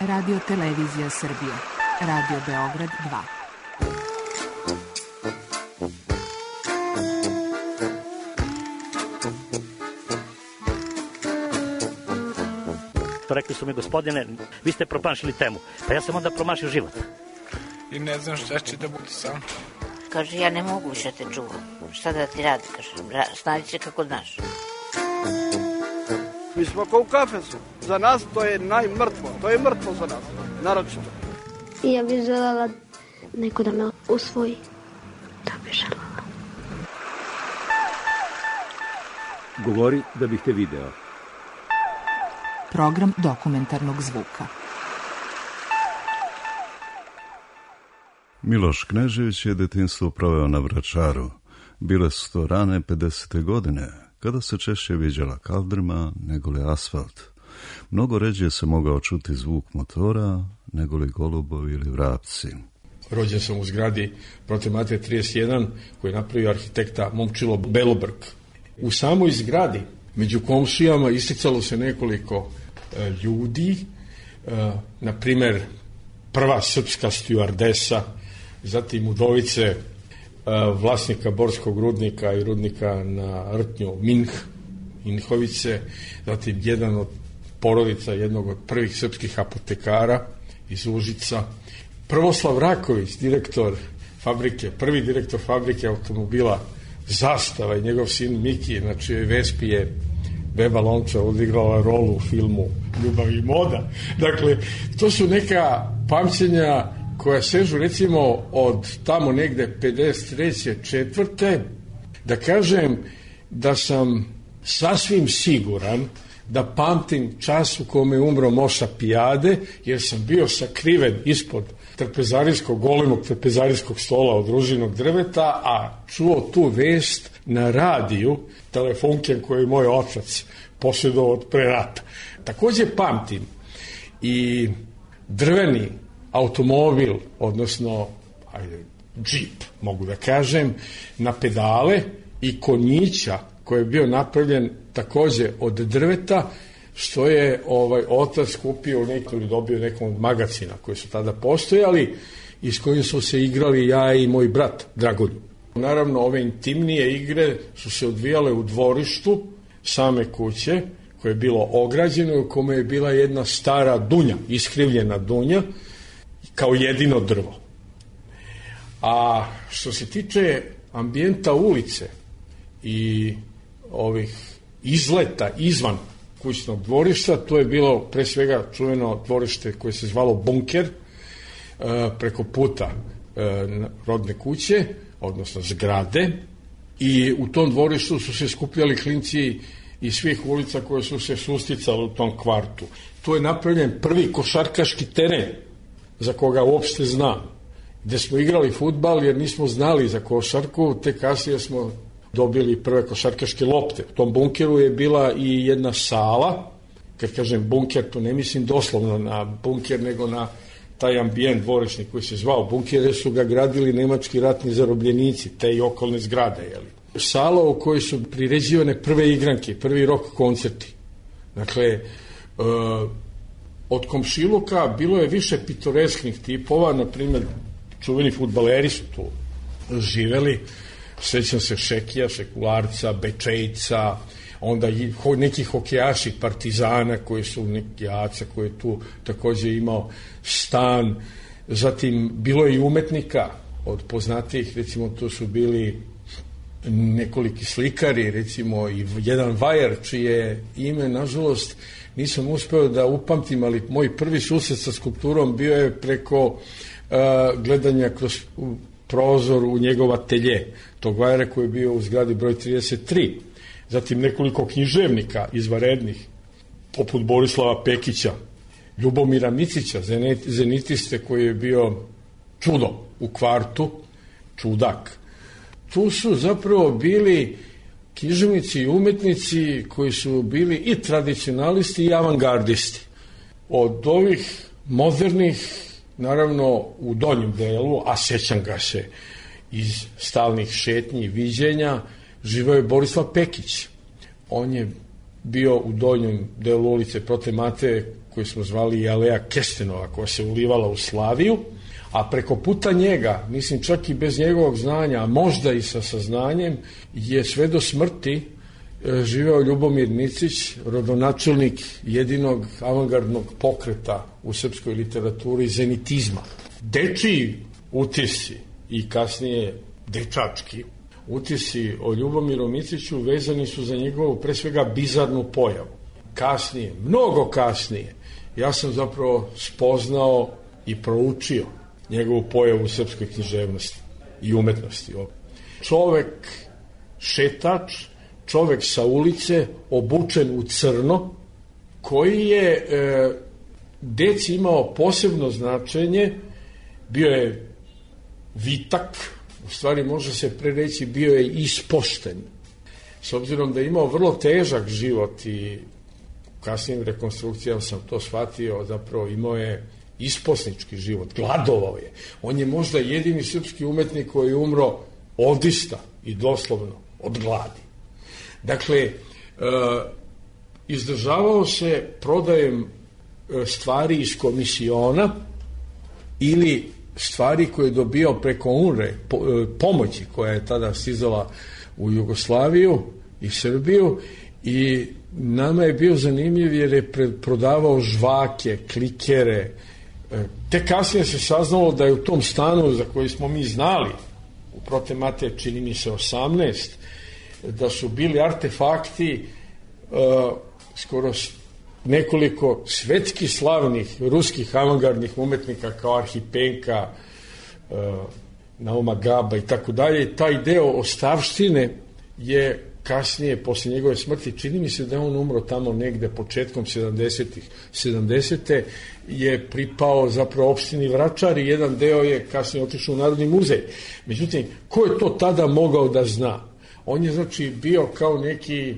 Radio Televizija Srbije. Radio Beograd 2. Rekli su mi, gospodine, vi ste promašili temu. Pa ja sam onda promašio život. I ne znam šta će da bude sam. Kaže, ja ne mogu više te čuvam. Šta da ti radi, kaže, snađi se kako znaš. Mi smo kao u kafesu. Za nas to je najmrtvo. To je mrtvo za nas, naročito. I ja bih željela neko da me usvoji. Da bih željela. Govori da bih te video. Program dokumentarnog zvuka. Miloš Knežević je detinjstvo proveo na Vračaru. Bile su to rane 50. godine, kada se češće viđala kaldrma nego li asfalt. Mnogo ređe se mogao čuti zvuk motora nego li golubovi ili vrapci. Rođen sam u zgradi Prote Mate 31 koji je napravio arhitekta Momčilo Belobrg. U samoj zgradi među komšijama isticalo se nekoliko ljudi, na primer prva srpska stjuardesa, zatim udovice vlasnika Borskog rudnika i rudnika na Rtnju Minhovice, zatim jedan od porodica jednog od prvih srpskih apotekara iz Užica, Prvoslav Raković, direktor fabrike, prvi direktor fabrike automobila Zastava i njegov sin Miki, na čijoj Vespi je Beba Lončar odigrala rolu u filmu Ljubav i moda. Dakle, to su neka pamćenja koja sežu recimo od tamo negde 53. 4. Da kažem da sam sasvim siguran da pamtim čas u kome je umro Moša Pijade, jer sam bio sakriven ispod golemog trpezarijskog stola od ružinog drveta, a čuo tu vest na radiju telefonken koju je moj otac posjedovao od pre rata. Takođe pamtim i drveni automobil, odnosno džip, mogu da kažem, na pedale i konjića koji je bio napravljen takođe od drveta, što je otac kupio ili dobio nekom od magacina koji su tada postojali i s kojim su se igrali ja i moj brat Dragoljub. Naravno, ove intimnije igre su se odvijale u dvorištu same kuće, koje je bilo ograđeno i u kome je bila jedna stara dunja, iskrivljena dunja, kao jedino drvo. A što se tiče ambijenta ulice i ovih izleta izvan kućnog dvorišta, to je bilo pre svega čuveno dvorište koje se zvalo Bunker, preko puta rodne kuće, odnosno zgrade, i u tom dvorištu su se skupljali klinci iz svih ulica koje su se susticale u tom kvartu. Tu je napravljen prvi košarkaški teren za koga uopšte znam, gde smo igrali fudbal jer nismo znali za košarku, te kasnije smo dobili prve košarkaške lopte. U tom bunkeru je bila i jedna sala, kad kažem bunker, to ne mislim doslovno na bunker, nego na taj ambijent dvorišni koji se zvao bunker, jer su ga gradili nemački ratni zarobljenici, te i okolne zgrade. Jeli. Sala u kojoj su priređivane prve igranke, prvi rock koncerti. Dakle, od komšiluka bilo je više pitoresknih tipova, na primjer, čuveni fudbaleri su tu živeli, sećam se Šekija, Šekularca, Bečejca, onda neki hokejaši Partizana koji su neki Jaca koji je tu takođe imao stan, zatim bilo je i umetnika od poznatijih, recimo to su bili nekoliki slikari, recimo i jedan vajar čije ime, nažalost, nisam uspeo da upamtim, ali moj prvi susret sa skulpturom bio je preko gledanja kroz prozor u njegov atelje, tog vajara koji je bio u zgradi broj 33. Zatim nekoliko književnika izvanrednih, poput Borislava Pekića, Ljubomira Micića, zenitiste koji je bio čudo u kvartu, čudak. Tu su zapravo bili književnici i umetnici koji su bili i tradicionalisti i avangardisti. Od ovih modernih, naravno u donjem delu, a sećam ga se iz stalnih šetnji i viđenja, živao je Borislav Pekić. On je bio u donjem delu ulice Prote Mateje, koju smo zvali Aleja Kestenova, koja se ulivala u Slaviju, a preko puta njega, mislim čak i bez njegovog znanja, a možda i sa saznanjem, je sve do smrti živeo Ljubomir Micić, rodonačelnik jedinog avangardnog pokreta u srpskoj literaturi, zenitizma. Dečiji utisci i kasnije dečački utisci o Ljubomiru Miciću vezani su za njegovu pre svega bizarnu pojavu. Kasnije, mnogo kasnije, ja sam zapravo spoznao i proučio njegovu pojavu u srpskoj književnosti i umetnosti. Čovek šetač, čovek sa ulice, obučen u crno, koji je deci imao posebno značenje, bio je vitak, u stvari može se prereći bio je ispošten. S obzirom da je imao vrlo težak život i u kasnijim rekonstrukcijama sam to shvatio, zapravo imao je isposnički život, gladovao je. On je možda jedini srpski umetnik koji je umro odista i doslovno od gladi. Dakle, izdržavao se prodajem stvari iz komisiona ili stvari koje je dobio preko UNRE, pomoći koja je tada stizala u Jugoslaviju i Srbiju, i nama je bio zanimljiv jer je prodavao žvake, klikere. Te kasnije se saznalo da je u tom stanu za koji smo mi znali, u Prote Mateje čini mi se 18, da su bili artefakti skoro nekoliko svetski slavnih ruskih avangardnih umetnika kao Arhipenka, Nauma Gaba i tako dalje. Taj deo ostavštine je kasnije, posle njegove smrti, čini mi se da je on umro tamo negde početkom 70. je pripao zapravo opštini Vračar i jedan deo je kasnije otišao u Narodni muzej. Međutim, ko je to tada mogao da zna? On je znači bio kao neki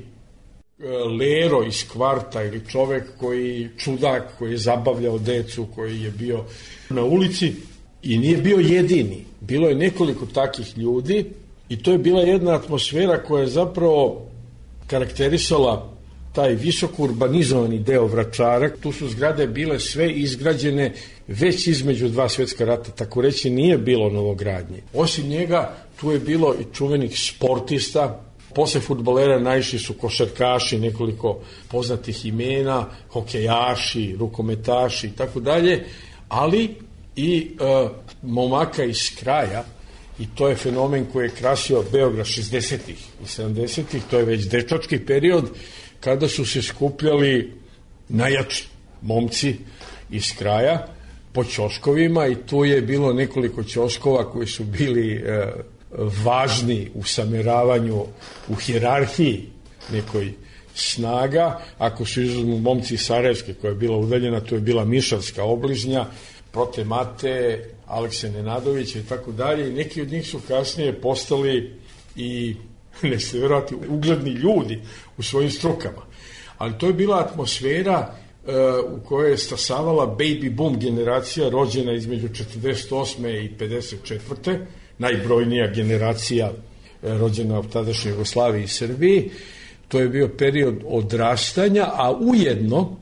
lero iz kvarta ili čovek koji čudak, koji je zabavljao decu, koji je bio na ulici i nije bio jedini. Bilo je nekoliko takih ljudi i to je bila jedna atmosfera koja je zapravo karakterisala taj visoko urbanizovani deo Vračara. Tu su zgrade bile sve izgrađene već između dva svetska rata, tako reći nije bilo novogradnje. Osim njega tu je bilo i čuvenih sportista. Posle fudbalera najviše su košarkaši, nekoliko poznatih imena, hokejaši, rukometaši i tako dalje, ali i momaka iz kraja, i to je fenomen koji je krasio Beograd 60-ih i 70-ih, to je već dečački period, kada su se skupljali najjači momci iz kraja po ćoškovima, i tu je bilo nekoliko ćoškova koji su bili važni u sameravanju, u hijerarhiji nekoj snaga. Ako su izuzmu momci iz Sarajevske koja je bila udaljena, to je bila Mišavska obližnja, Prote Mateje, Alekse Nenadovića i tako dalje, i neki od njih su kasnije postali i ne se verovati ugledni ljudi u svojim strukama. Ali to je bila atmosfera u kojoj je stasavala baby boom generacija rođena između 48. i 54. najbrojnija generacija rođena u tadašnjoj Jugoslaviji i Srbiji. To je bio period odrastanja, a ujedno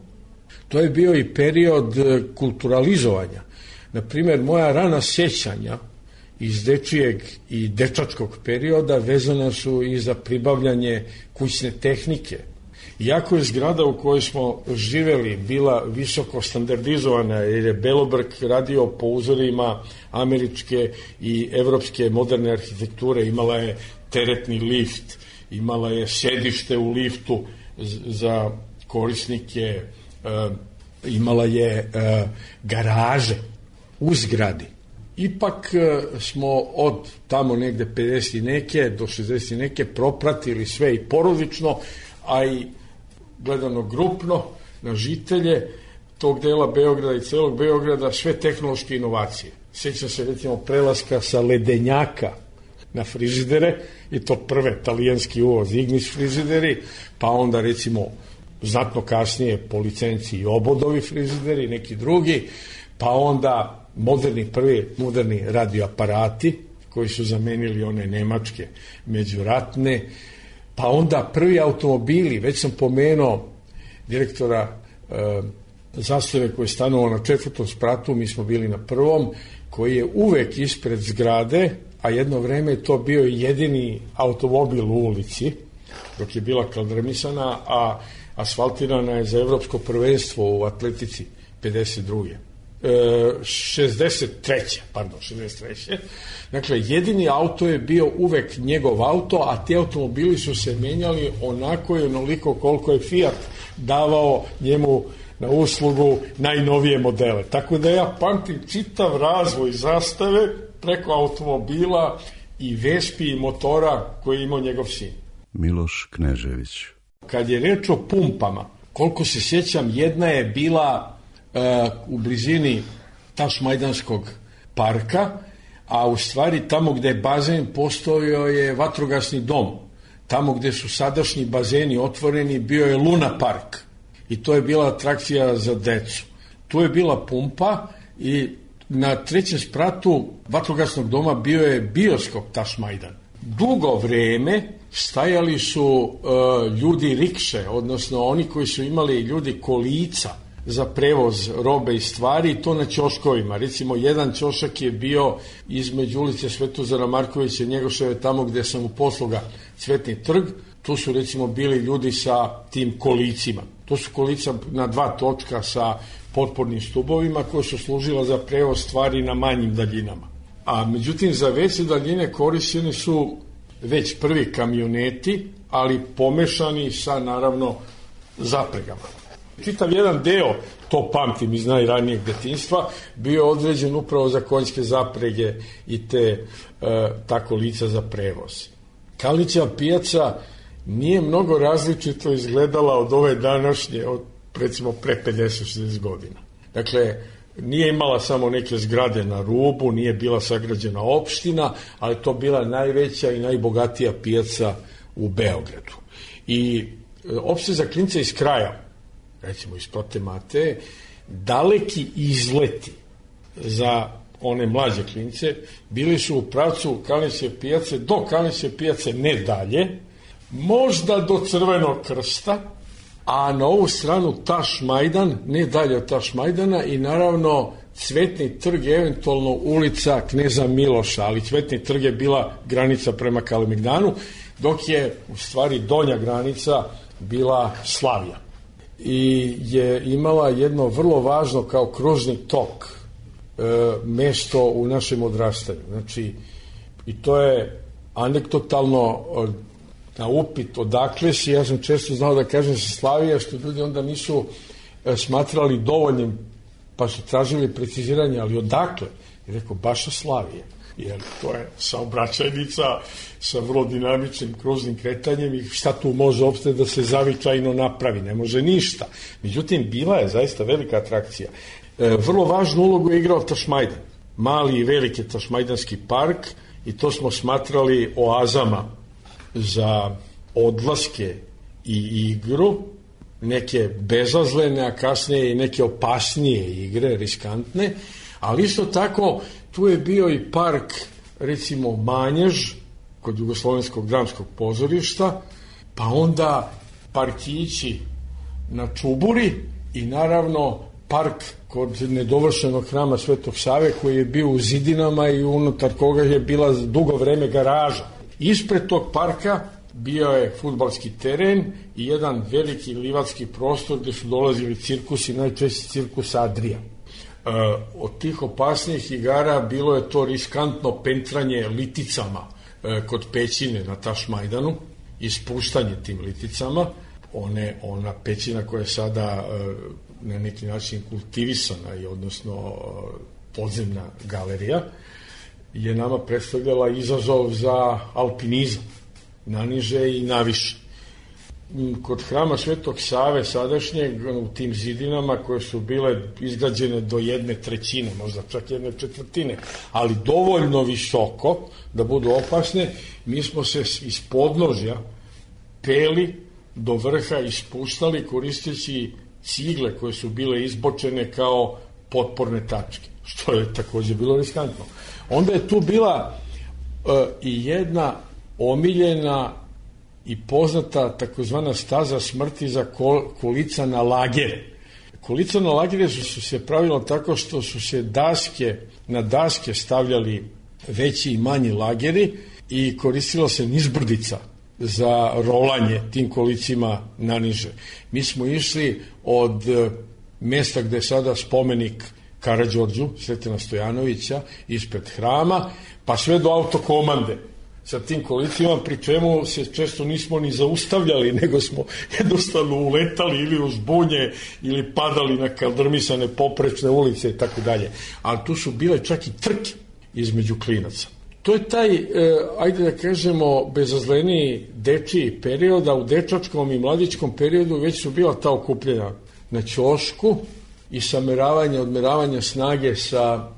to je bio i period kulturalizovanja. Naprimer, moja rana sjećanja iz dečijeg i dečačkog perioda vezana su i za pribavljanje kućne tehnike. Iako je zgrada u kojoj smo živeli bila visoko standardizovana, jer je Belobrg radio po uzorima američke i evropske moderne arhitekture, imala je teretni lift, imala je sedište u liftu za korisnike, imala je garaže u zgradi. Ipak smo od tamo negde 50 i neke do 60 i neke propratili sve i porodično, a i gledano grupno na žitelje tog dela Beograda i celog Beograda sve tehnološke inovacije. Sjećam se recimo prelaska sa ledenjaka na frižidere, i to prve talijanski uvoz Ignis frižideri, pa onda recimo znatno kasnije po licenciji i Obodovi frižideri, neki drugi, pa onda prvi moderni radioaparati koji su zamenili one nemačke međuratne, pa onda prvi automobili, već sam pomenuo direktora Zastave koji je stanovao na 4. spratu, mi smo bili na 1. koji je uvek ispred zgrade, a jedno vreme je to bio jedini automobil u ulici, dok je bila kaldrmisana, a asfaltirana je za evropsko prvenstvo u atletici 63. Dakle, jedini auto je bio uvek njegov auto, a ti automobili su se menjali onako i onoliko koliko je Fiat davao njemu na uslugu najnovije modele. Tako da ja pamtim čitav razvoj Zastave preko automobila i Vespi i motora koji je imao njegov sin. Miloš Knežević. Kad je reč o pumpama, koliko se sjećam, jedna je bila u blizini Tašmajdanskog parka, a u stvari tamo gde je bazen postojao je vatrogasni dom. Tamo gde su sadašnji bazeni otvoreni bio je Luna park i to je bila atrakcija za decu. Tu je bila pumpa i na 3. spratu vatrogasnog doma bio je bioskop Tašmajdan. Dugo vreme stajali su ljudi rikše, odnosno oni koji su imali ljudi kolica za prevoz robe i stvari, i to na ćoškovima. Recimo, jedan ćošak je bio između ulice Svetozara Markovića i Njegoševe, tamo gde sam u posluga Cvetni trg. Tu su recimo bili ljudi sa tim kolicima. To su kolica na 2 točka sa potpornim stubovima koje su služila za prevoz stvari na manjim daljinama. A međutim, za veće daljine korišćeni su već prvi kamioneti, ali pomešani sa, naravno, zapregama. Čitav jedan deo, to pamtim iz najranijeg detinjstva, bio određen upravo za konjske zaprege i te ta kolica za prevoz. Kalnićeva pijaca nije mnogo različito izgledala od ove današnje, od recimo pre 50-60 godina. Dakle, nije imala samo neke zgrade na rubu, nije bila sagrađena opština, ali to bila najveća i najbogatija pijaca u Beogradu. I opšte za klince iz kraja, recimo iz Prote Mateje, daleki izleti za one mlađe klince bili su u pravcu Kalnićeve pijace, do Kalnićeve pijace ne dalje, možda do Crvenog krsta, a na ovu stranu Tašmajdan, ne dalje od Tašmajdana, i naravno Cvetni trg, eventualno ulica Kneza Miloša, ali Cvetni trg je bila granica prema Kalemegdanu, dok je u stvari donja granica bila Slavija. I je imala jedno vrlo važno kao kružni tok mesto u našem odrastanju. Znači, i to je anegdotalno na upit odakle si, ja sam često znao da kažem sa Slavija, što ljudi onda nisu smatrali dovoljnim, pa su tražili preciziranje, ali odakle? I rekao, baš sa Slavije. Jer to je saobraćajnica sa vrlo dinamičnim kružnim kretanjem i šta tu može uopšte da se zavičajno napravi? Ne može ništa. Međutim, bila je zaista velika atrakcija. Vrlo važnu ulogu je igrao Tašmajdan. Mali i veliki Tašmajdanski park, i to smo smatrali oazama za odlaske i igru, neke bezazlene, a kasnije i neke opasnije igre, riskantne, ali isto tako tu je bio i park, recimo Manjež, kod Jugoslovenskog dramskog pozorišta, pa onda parkići na Čuburi i naravno park kod nedovršenog hrama Svetog Save koji je bio u zidinama i unutar koga je bila dugo vreme garaža. Ispred tog parka bio je fudbalski teren i jedan veliki livatski prostor gde su dolazili cirkusi, najčešće cirkus Adria. Od tih opasnijih igara bilo je to riskantno pentranje liticama kod pećine na Tašmajdanu i spuštanje tim liticama. Ona pećina koja je sada na neki način kultivisana i odnosno podzemna galerija je nama predstavljala izazov za alpinizam, naniže i naviše. Kod hrama Svetog Save sadašnjeg, u tim zidinama koje su bile izgrađene do 1/3, možda čak 1/4, ali dovoljno visoko da budu opasne, mi smo se iz podnožja peli do vrha i spuštali koristeći cigle koje su bile izbočene kao potporne tačke, što je takođe bilo riskantno. Onda je tu bila i jedna omiljena i poznata takozvana staza smrti za kolica na lagere. Kolica na lagere su se pravilo tako što su se na daske stavljali veći i manji lageri i koristila se nizbrdica za rolanje tim kolicima naniže. Mi smo išli od mesta gde je sada spomenik Karađorđu, Sretena Stojanovića, ispred hrama, pa sve do autokomande sa tim kolicima, pri čemu se često nismo ni zaustavljali, nego smo jednostavno uletali ili uz bunje ili padali na kaldrmisane poprečne ulice i tako dalje. Ali tu su bile čak i trke između klinaca. To je taj, ajde da kažemo, bezazleniji dečiji period, a u dečačkom i mladičkom periodu već su bila ta okupljenja na ćošku i odmeravanja snage sa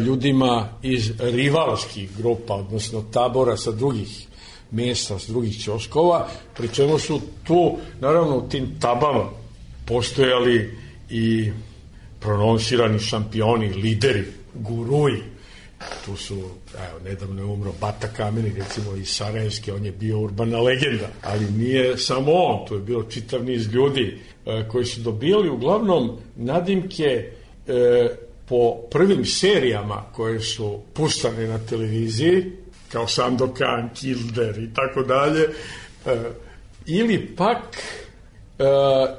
ljudima iz rivalskih grupa, odnosno tabora sa drugih mesta, s drugih ćoškova, pri čemu su tu, naravno, u tim tabama postojali i prononsirani šampioni, lideri, guruji. Tu su, nedavno je umro Bata Kameni, recimo iz Sarajevske, on je bio urbana legenda, ali nije samo on, tu je bilo čitav niz ljudi koji su dobijali uglavnom nadimke po prvim serijama koje su puštane na televiziji, kao Sandokan, Kilder i tako dalje, ili pak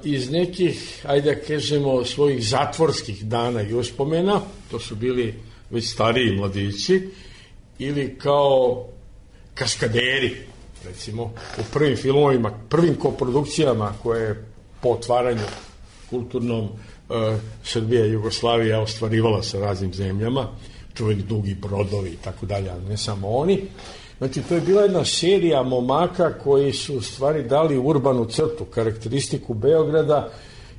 iz nekih, ajde da kažemo, svojih zatvorskih dana i uspomena, to su bili već stariji mladići, ili kao kaskaderi, recimo, u prvim filmovima, prvim koprodukcijama koje po otvaranju kulturnom Srbija i Jugoslavija ostvarivala sa raznim zemljama, čuveni Dugi brodovi i tako dalje, ali ne samo oni. Znači, to je bila jedna serija momaka koji su u stvari dali urbanu crtu, karakteristiku Beograda,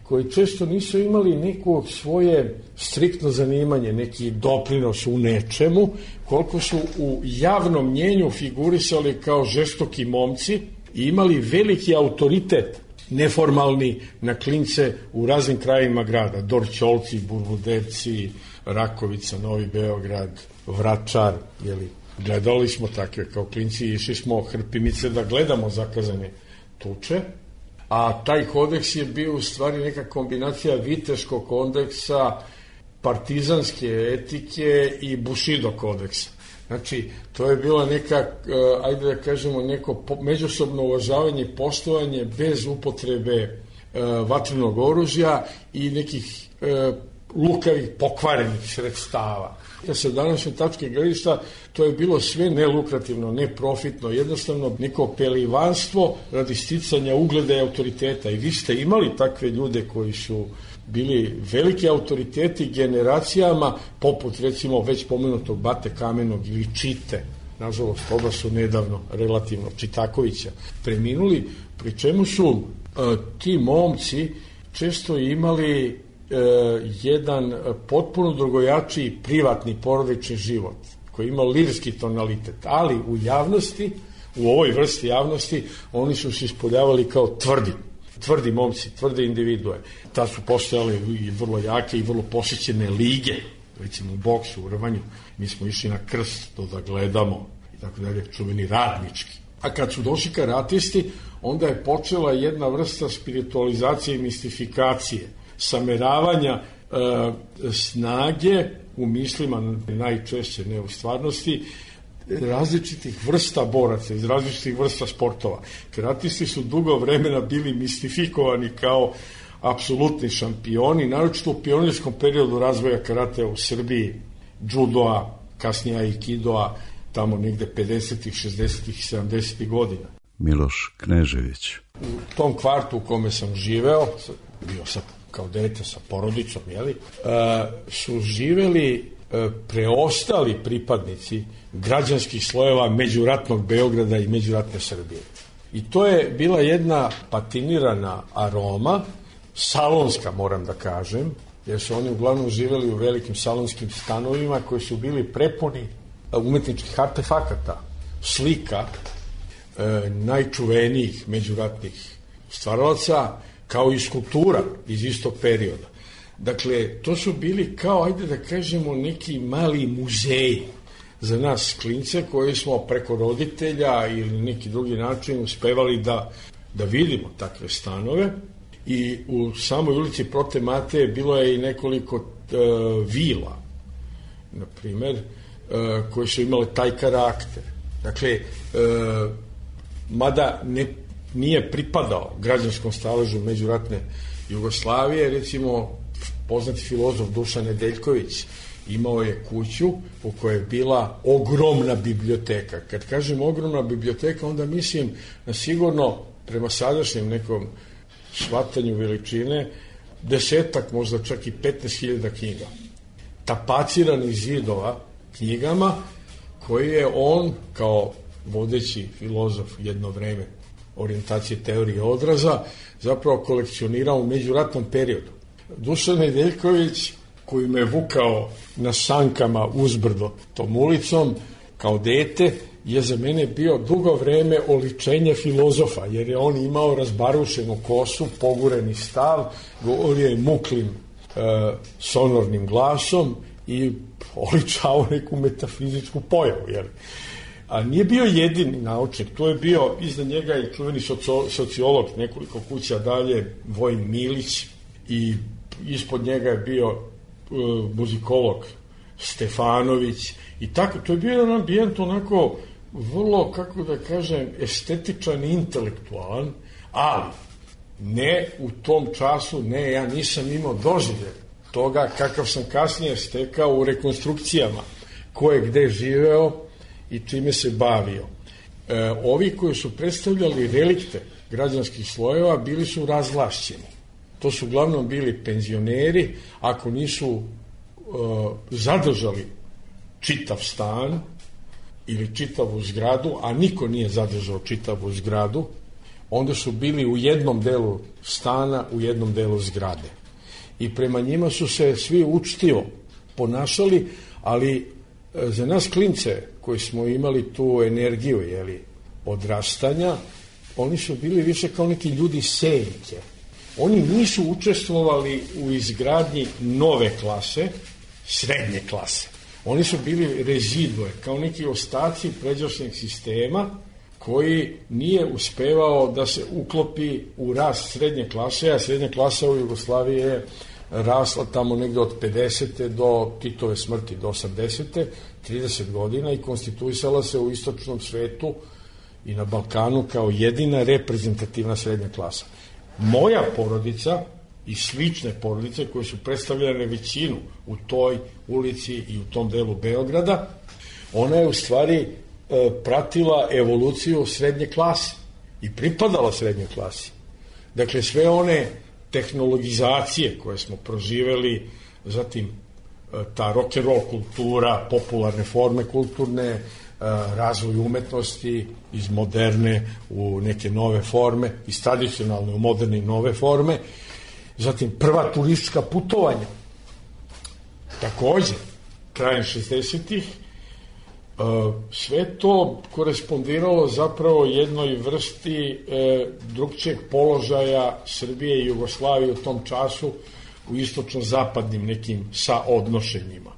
koji često nisu imali neko svoje striktno zanimanje, neki doprinos u nečemu, koliko su u javnom mnjenju figurisali kao žestoki momci i imali veliki autoritet neformalni na klince u raznim krajima grada, Dorćolci, Burvudevci, Rakovica, Novi Beograd, Vračar, gledali smo takve kao klinci, išli smo Hrpimice da gledamo zakazane tuče, a taj kodeks je bio u stvari neka kombinacija viteškog kodeksa, partizanske etike i Bushido kodeksa. Znači, to je bila neka, ajde da kažemo, neko međusobno uvažavanje i poštovanje bez upotrebe vatrenog oružja i nekih lukavih, pokvarenih sredstava. Sa današnje tačke gledišta to je bilo sve nelukrativno, neprofitno, jednostavno neko pelivanstvo radi sticanja ugleda i autoriteta. I vi ste imali takve ljude koji su bili veliki autoriteti generacijama, poput recimo već pomenutog Bate Kamenog ili Čite, nažalost oba su nedavno relativno Čitakovića preminuli, pri čemu su ti momci često imali jedan potpuno drugojačiji privatni porodični život koji ima lirski tonalitet, ali u javnosti, u ovoj vrsti javnosti, oni su se ispoljavali kao tvrdi momci, tvrde individue. Ta su postojale i vrlo jake i vrlo posjećene lige, recimo u boksu, u rvanju. Mi smo išli na krst to da gledamo i tako dalje, čuveni radnički. A kad su došli karatisti, onda je počela jedna vrsta spiritualizacije i mistifikacije, sameravanja snage u mislima, najčešće ne u stvarnosti, različitih vrsta boraca, iz različitih vrsta sportova. Karatisti su dugo vremena bili mistifikovani kao apsolutni šampioni, naročito u pionirskom periodu razvoja karatea u Srbiji, judoa, kasnije aikidoa, tamo negde 50-ih, 60-ih, 70-ih godina. Miloš Knežević. U tom kvartu u kome sam živeo, bio sam kao dete sa porodicom, su živeli preostali pripadnici građanskih slojeva međuratnog Beograda i međuratne Srbije. I to je bila jedna patinirana aroma, salonska moram da kažem, jer su oni uglavnom živeli u velikim salonskim stanovima koji su bili prepuni umetničkih artefakata, slika najčuvenijih međuratnih stvaralaca, kao i skulptura iz istog perioda. Dakle, to su bili kao, ajde da kažemo, neki mali muzeji. za nas klince koji smo preko roditelja ili neki drugi način uspevali da vidimo takve stanove. I u samoj ulici Prote Mateje bilo je i nekoliko vila, na primer, koje su imale taj karakter. Dakle, mada nije pripadao građanskom staležu međuratne Jugoslavije, recimo poznati filozof Dušan Nedeljković imao je kuću u kojoj je bila ogromna biblioteka. Kad kažem ogromna biblioteka, onda mislim na sigurno prema sadašnjem nekom shvatanju veličine 10, možda čak i 15.000 knjiga. Tapaciranih zidova knjigama koji je on kao vodeći filozof jedno vreme orijentacije teorije odraza zapravo kolekcionirao u međuratnom periodu. Dušan Nedeljković, koji me vukao na sankama uzbrdo tom ulicom kao dete, je za mene bio dugo vreme oličenje filozofa, jer je on imao razbarušenu kosu, pogureni stav, govorio je muklim sonornim glasom i oličao neku metafizičku pojavu. Jer a nije bio jedini naučnik, tu je bio iza njega i čuveni sociolog nekoliko kuća dalje, Vojin Milić, i ispod njega je bio muzikolog Stefanović i tako. To je bio jedan ambijent onako vrlo, kako da kažem, estetičan i intelektualan, ali ne u tom času, ne, ja nisam imao doživljaj toga kakav sam kasnije stekao u rekonstrukcijama ko je gde živeo i čime se bavio. Ovi koji su predstavljali relikte građanskih slojeva bili su razvlašćeni. To su uglavnom bili penzioneri, ako nisu zadržali čitav stan ili čitavu zgradu, a niko nije zadržao čitavu zgradu, onda su bili u jednom delu stana, u jednom delu zgrade. I prema njima su se svi učtivo ponašali, ali za nas klince koji smo imali tu energiju odrastanja, oni su bili više kao neki ljudi senke. Oni nisu učestvovali u izgradnji nove klase, srednje klase. Oni su bili rezidue, kao neki ostaci pređašnjeg sistema koji nije uspevao da se uklopi u rast srednje klase, a srednja klasa u Jugoslaviji je rasla tamo negde od 50. do Titove smrti, do 80. 30 godina i konstituisala se u istočnom svetu i na Balkanu kao jedina reprezentativna srednja klasa. Moja porodica i slične porodice koje su predstavljene većinu u toj ulici i u tom delu Beograda, ona je u stvari pratila evoluciju srednje klase i pripadala srednjoj klasi. Dakle, sve one tehnologizacije koje smo proživeli, zatim ta rock'n'roll kultura, popularne forme kulturne, razvoj umetnosti iz moderne u neke nove forme, iz tradicionalne u moderne i nove forme, zatim prva turistička putovanja, takođe, krajem 60-ih, sve to korespondiralo zapravo jednoj vrsti drugčijeg položaja Srbije i Jugoslavije u tom času u istočno-zapadnim nekim saodnošenjima.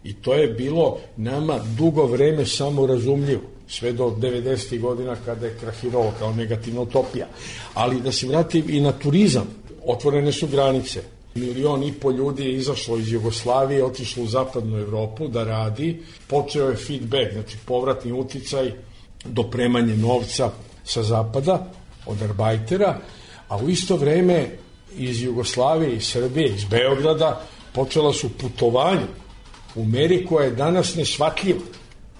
I to je bilo nama dugo vreme samorazumljivo, sve do 90. godina kada je krahiralo kao negativna utopija. Ali da se vratim i na turizam, otvorene su granice. 1,5 miliona ljudi je izašlo iz Jugoslavije, otišlo u zapadnu Evropu da radi, počeo je feedback, znači povratni uticaj, dopremanje novca sa zapada od arbajtera, a u isto vreme iz Jugoslavije, iz Srbije, iz Beograda počela su putovanja u meri koja je danas neshvatljiva.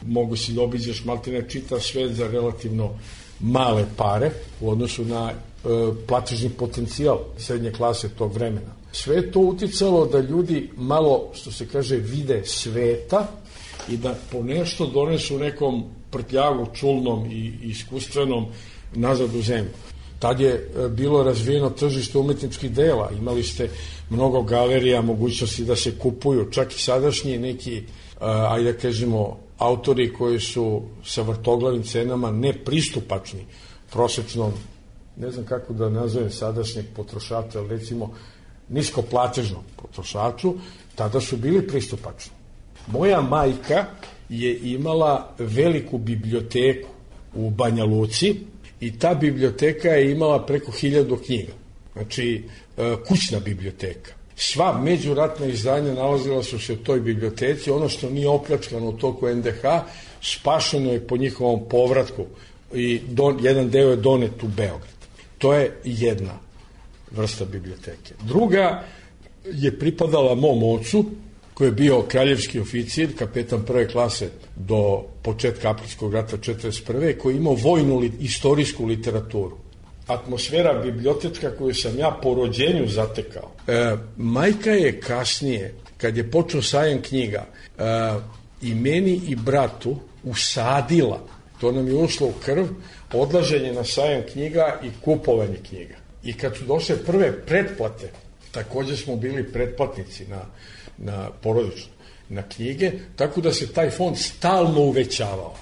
Mogu si da obiđeš maltene čitav svet za relativno male pare u odnosu na platežni potencijal srednje klase tog vremena. Sve to uticalo da ljudi malo, što se kaže, vide sveta i da po nešto donesu nekom prtljagu čulnom i iskustvenom nazad u zemlju. Tad je bilo razvijeno tržište umetničkih dela, imali ste mnogo galerija, mogućnosti da se kupuju, čak i sadašnji neki, ajde da kažemo, autori koji su sa vrtoglavim cenama nepristupačni prosečnom, ne znam kako da nazovem sadašnjeg potrošača, ali recimo niskoplatežnom potrošaču, tada su bili pristupačni. Moja majka je imala veliku biblioteku u Banja Luci i ta biblioteka je imala preko 1000 knjiga. Znači, kućna biblioteka. Sva međuratna izdanja nalazila su se u toj biblioteci. Ono što nije opljačkano u toku NDH, spašeno je po njihovom povratku i jedan deo je donet u Beograd. To je jedna vrsta biblioteke. Druga je pripadala mom ocu, koji je bio kraljevski oficir, kapetan prve klase do početka Aprilskog rata 1941. koji je imao vojnu istorijsku literaturu. Atmosfera bibliotečka koju sam ja po rođenju zatekao. Majka je kasnije, kad je počeo sajam knjiga, i meni i bratu usadila, to nam je ušlo u krv, odlaženje na sajam knjiga i kupovanje knjiga. I kad su došle prve pretplate, također smo bili pretplatnici na porodično, na knjige, tako da se taj fond stalno uvećavao.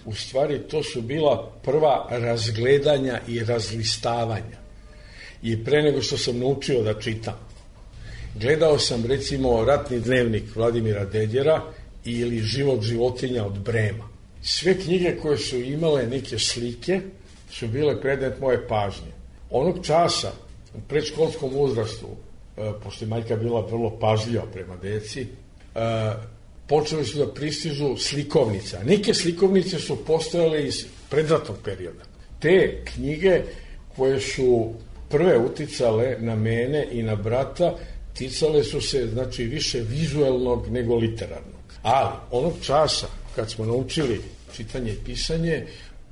U stvari, to su bila prva razgledanja i razlistavanja. I pre nego što sam naučio da čitam, gledao sam, recimo, Ratni dnevnik Vladimira Dedjera ili Život životinja od Brema. Sve knjige koje su imale neke slike su bile predmet moje pažnje. Onog časa, u predškolskom uzrastu, pošto je majka bila vrlo pažljiva prema deci, počeli su da pristižu slikovnice. Neke slikovnice su postojale iz predratnog perioda. Te knjige koje su prve uticale na mene i na brata, ticale su se, znači, više vizuelnog nego literarnog. Ali, onog časa, kad smo naučili čitanje i pisanje,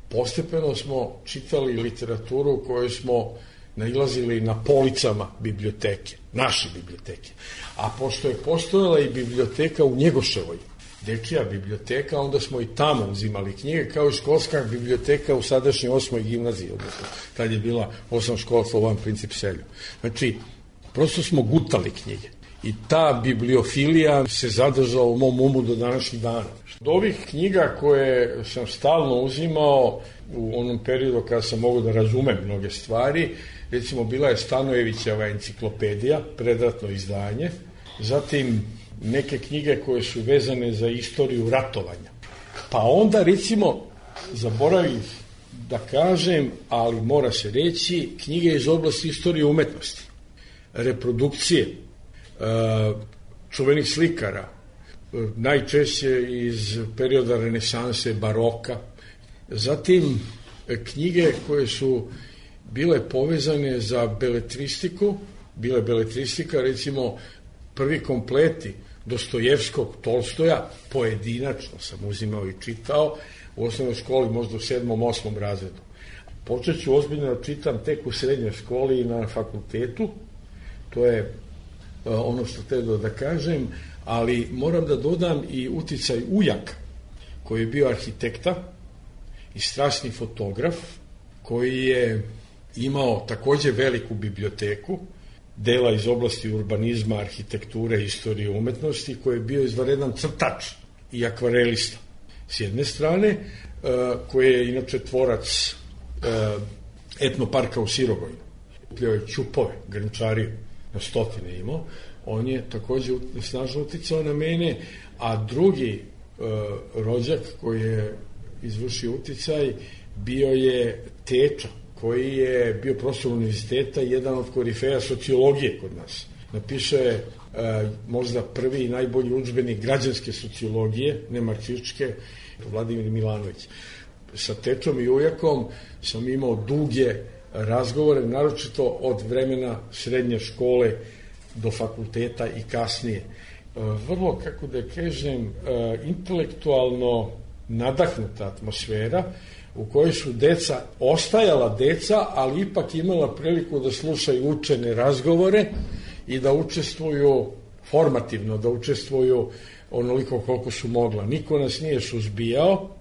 postepeno smo čitali literaturu koju smo nailazili na policama biblioteke, naše biblioteke. A pošto je postojala i biblioteka u Njegoševoj, dečija biblioteka, onda smo i tamo uzimali knjige, kao i školska biblioteka u sadašnjoj 8. gimnaziji, odnosno tad je bila 8 škola Slovan Princip Selju. Znači, prosto smo gutali knjige. I ta bibliofilija se zadržala u mom umu do današnjih dana. Od ovih knjiga koje sam stalno uzimao u onom periodu kada sam mogao da razumem mnoge stvari, recimo bila je Stanojevićeva enciklopedija, predratno izdanje, zatim neke knjige koje su vezane za istoriju ratovanja. Pa onda, recimo, zaboravim da kažem, ali mora se reći, knjige iz oblasti istorije umetnosti, reprodukcije, čuvenih slikara, najčešće iz perioda renesanse, baroka, zatim knjige koje su bile povezane za beletristiku, bile beletristika, recimo prvi kompleti Dostojevskog, Tolstoja, pojedinačno sam uzimao i čitao, u osnovnoj školi možda u 7. 8. razredu. Počet ću ozbiljno da čitam tek u srednjoj školi i na fakultetu, to je ono što treba da kažem, ali moram da dodam i uticaj ujaka, koji je bio arhitekta i strasni fotograf, koji je imao takođe veliku biblioteku, dela iz oblasti urbanizma, arhitekture, istorije umetnosti, koji je bio izvanredan crtač i akvarelista. S jedne strane, koji je inače tvorac etnoparka u Sirogojnu. Kupljao je ćupove, grnčariju, na stotine imao. On je takođe snažno uticao na mene, a drugi rođak koji je izvršio uticaj bio je teča, koji je bio profesor univerziteta i jedan od korifeja sociologije kod nas. Napiše je možda prvi i najbolji udžbenik građanske sociologije, ne marksističke, Vladimir Milanović. Sa tečom i ujakom sam imao duge razgovore, naročito od vremena srednje škole do fakulteta i kasnije. Vrlo, kako da kažem, intelektualno nadahnuta atmosfera u kojoj su deca ostajala deca, ali ipak imala priliku da slušaju učene razgovore i da učestvuju formativno, da učestvuju onoliko koliko su mogla. Niko nas nije suzbijao.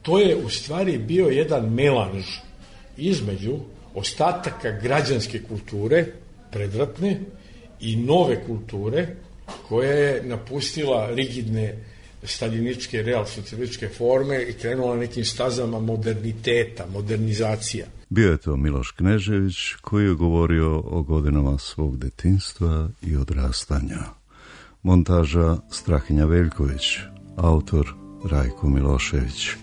To je u stvari bio jedan melanž između ostataka građanske kulture, predratne, i nove kulture, koja je napustila rigidne staljiničke, realsocijalističke forme i krenula nekim stazama moderniteta, modernizacija. Bio je to Miloš Knežević, koji je govorio o godinama svog detinjstva i odrastanja. Montaža Strahinja Veljković, autor Rajko Milošević.